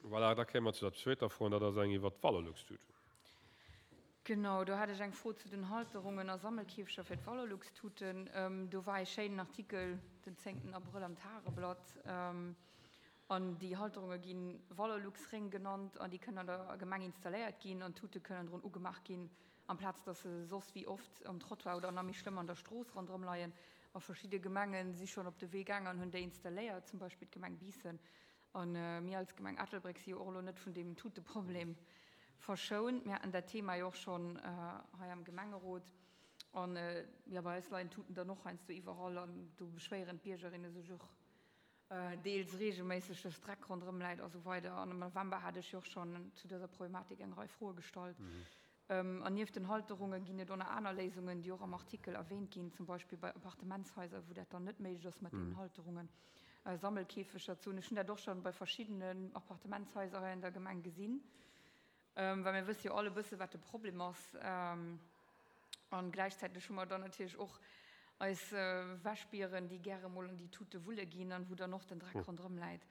Voilà, da kéime mer zu der zweeter Fro, an dat ass eng iwwert d'Valorlux-Tuten. Genau, do hat ech eng Fro zu den Halterungen a Sammelkäfeger fir d'Valorlux-Tuten. Do war ee schéinen Artikel den zéngten Abrëll am Tageblatt. An déi Halterunge gi Valorlux-Réng genannt an déi kënnen an der Gemeng installéiert ginn an d'Tute kënnen drun ugemaach ginn, amplaz datt se soss wéi oft um Trottoir oder nach méi schlëmm an der Strooss ronderëm leien. A verschidde Gemenge si schonn op de Wee gaang an hunn déi installéiert, zum Beispill d'Gemeng Biissen. A mir als Gemeng Ettelbréck si jo och elo net vun deem Tuteproblem verschount. Mir haten dat Thema jo och schonn hei am Gemengerot. An jo, bei eis leien d'Tuten dann och heiansdo iwwerall an do beschwéieren d'Biergerinne sech och deels reegelméisseg, dass Dreck ronderëm läit a sou weider. An am November hat ech jo och schonn zu dëser Problematik eng Rei Froe gestallt. An nieft den Halterunge ginn et och nach aner Léisungen, déi och am Artikel erwähnt ginn, zum Beispill bei Appartementshaiser, wou dat dann net méiglech ass mat deenen Halterungen, Sammelkäfeger ze hunn. Ech hunn dat och schonn bei verschiddenen Appartementshaiser hei an der Gemeng gesinn, well mir wësse jo all e bësse wat de Problem ass. An gläichzäiteg hu mer dann natierlech och eis Wäschbieren, déi gäre mol an déi Tute wulle ginn an wou dann och den Dreck ronderëm läit.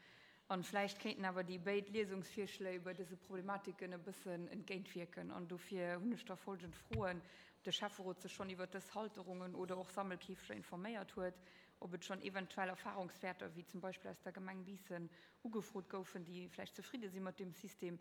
An vläicht kéinten awer déi béid Liesungsvirschléi bei dëse Problematiken e bëssen entgéintwierken. An dofir hunn ech da folgend Froen, Ob de Schäfferot sech schonn iwwert dës Halterungen oder och Sammelkäfeger informéiert huet, ob et schonn eventuell Erfahrungswäerter, wéi zum Beispill aus der Gemeng Biissen, ugefrot goufen, déi vläicht zefridde si mat deem System.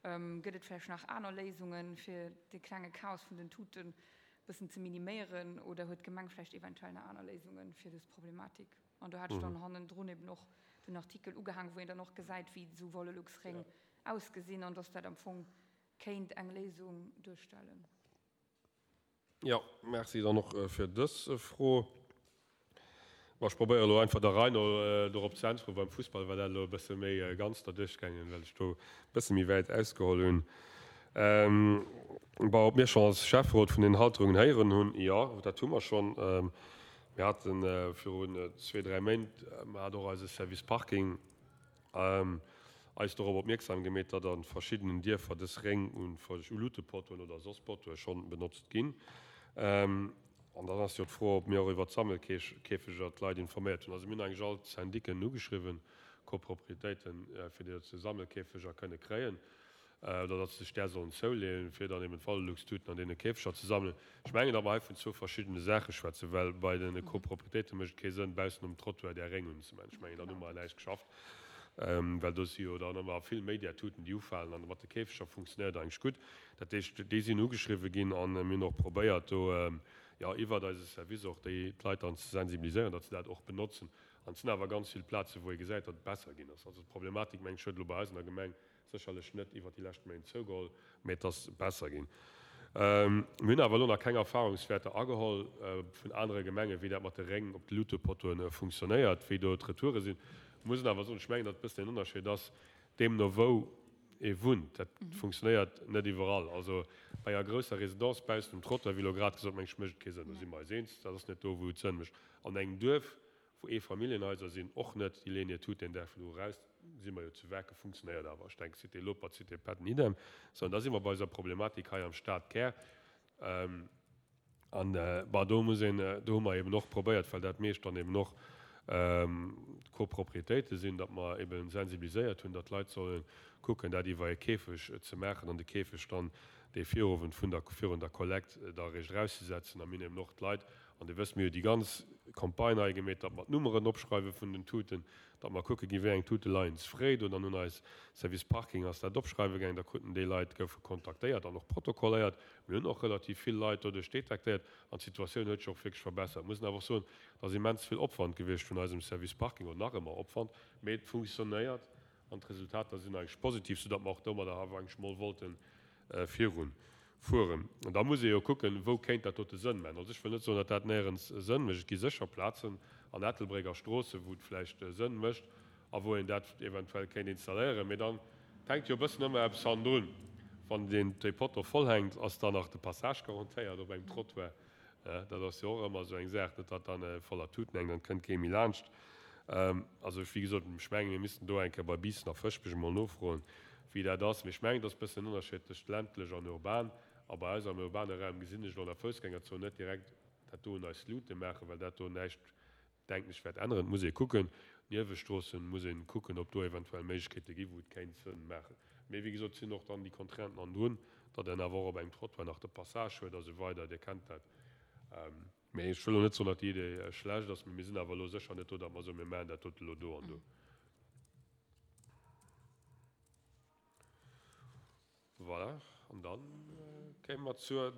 Gëtt et vläicht nach aner Léisungen, fir de klenge Chaos vun den Tuten e bëssen ze miniméieren? Oder huet d'Gemeng vläicht eventuell nach aner Léisungen fir dës Problematik? An do hat ech dann hannendrun eben och den Artikel ugehaang, wou een dann och gesäit, wéi esou Valorlux-Réng ausgesinn an dass dat am Fong kéint eng Léisung duerstellen. Jo, merci dann och fir dës Fro. Bon, ech probéiere elo einfach der Rei no dorop ze äntweren. Beim Fussball war dat elo e bësse méi ganz derduerch gaangen, well ech do e bësse méi wäit ausgeholl hunn. Bon, ob mir schonn als Schäfferot vun den Halterungen héieren hunn? Jo, dat hu mer schonn. Mir hate virun zwee, dräi Méint, hat och eise Service Parking eis dorop opmierksam gemeet, datt a verschiddenen Dierfer dës Réng u Luutepottoen oder soss Pottoe schonn benotzt ginn. An dann ass jo d'Fro, ob mir och iwwert d'Sammelkäfeger d'Leit informéiert hunn. Also mir hunn eigentlech all d'Syndicken ugeschriwwen, Copropriétéiten, fir déi datt se Sammelkäfeger kënne kréien. oder datt se sech där sollen zouleeën, fir dann eben d'Valorluxtuten an deene Käfeger ze sammelen. Ech mengen, datt mer hei vun zwou verschiddene Saache schwätzen, well bei de Copropriétéite mécht et kee Sënn, baussen um Trottoir där Réng unzemaachen. Ech mengen, dann hu mer näischt geschafft, well do si jo dann ëmmer vill méi där Tuten, déi ufalen. An mat de Käfeger funktionéiert eigentlech gutt. Dat heescht, déi sinn ugeschriwwen ginn a mir hunn och probéiert, do, jo, iwwert eise Service och déi d'Leit dann ze sensibiliséieren, datt se dat och benotzen. An et sinn awer ganz vill Plazen, wou ee gesäit, datt et besser ginn ass. Also d'Problematik, mengen ech, huet elo bei eis an der Gemeng Sécherlech net iwwert déi lescht Méint zougeholl, mee et ass besser ginn. Mir hunn awer elo nach keng Erfahrungswäerter ageholl vun anere Gemengen, wéi dat mat de Réng op de Luutepottoen funktionéiert, wéi do d'Retoure sinn. Ech muss awer soen, ech mengen, datt e bëssen en Ënnerscheed ass, deemno wou ee wunnt. Dat funktionéiert net iwwerall. Also bei enger grousser Residence baussen um Trottoir, wéi elo grad gesot, meng ech, mécht et kee Sënn. Do si mer eis eens, dat ass net do, wou et Sënn mécht. An engem Duerf, wou Eefamilljenhaiser sinn, och net, déi leeën hir Tut deen Dag virdru eraus, si mer jo zu Werke, funktionéiert awer, ech denken Cité Lopert, Cité Patton, idem. Sou, an da si mer bei eiser Problematik hei am Stadkär. An, bon, do muss een, do hu mer eben och probéiert, well dat meescht dann eben och Copropriétéite sinn, datt mer eben sensibiliséiert hunn, datt d'Leit solle kucken, dat iwwer e Käfeg ze maachen an de Käfeg dann dee Virowend vun der, virun der Kollekt da eréischt erauszesetzen. A mir hunn eben och d'Leit An Dir wësst, mir hu déi ganz Campagne hei gemeet, datt mer d'Nummeren opschreiwe vun den Tuten, datt mer kucke ginn, wéi eng Tute leien ze fréi do. Dann hunn eis Service Parking ass dat opschreiwe gaangen, da kruten déi Leit, goufe kontaktéiert an och protokolléiert. Mir hunn och relativ vill Leit doduerch detektéiert an d'Situatioun huet sech och wierklech verbessert. Mussen awer och soen, et ass immens vill Opwand gewiescht vun eisem Service Parking, oder nach ëmmer Opwand, mee et funktionéiert an d'Resultater sinn eigentlech positiv, soudatt mer och domadder awer eigentlech mol wollten virun fueren. An da muss ee jo kucken, wou kéint dat dote Sënn maachen. Also ech wëll net soen, datt dat néierens Sënn mécht. Et gi sécher Plazen an Ettelbréck a Stroossen, wou et vläicht Sënn mécht a wou een dat eventuell kéint installéieren. Mee dann hänkt jo e bëssen ëmmer eppes hannendrun. Wann deen dee Potto vollhänkt, ass dann nach de Passage garantéiert op engem Trottoir? Dat ass jo och ëmmer esou eng Saach, net datt dann e voller Tuten hänkt an et kënnt kee méi laanscht. Also wéi gesot, ech mengen, mir missten do eng Kéier bei Biissen a Fëschbech emol nofroen, wéi dat ass. Mee ech mengen, et ass e bëssen en Ënnerscheed tëscht ländlech an urban. A bei eis am urbane Raum gesinn ech elo an der Foussgängerzon net direkt dat do un eis Lute maachen, well dat do näischt. Denken ech wäert änneren. Et muss ee kucken, Niewestroossen muss ee kucken, ob do eventuell Méiglechkeete gi wou et kéint Sënn maachen. Mee wéi gesot, et sinn och dann déi Contrainten hannendrun, datt een awer och op engem Trottoir nach de Passage huet a sou weider. Dir kennt dat. Mee ech wëll elo net soen, datt déi Idee schlecht ass, mee mir sinn awer elo sécher net do, datt mer soen, mir maachen dat dote elo do an do. Voilà, an da kéime mer zur.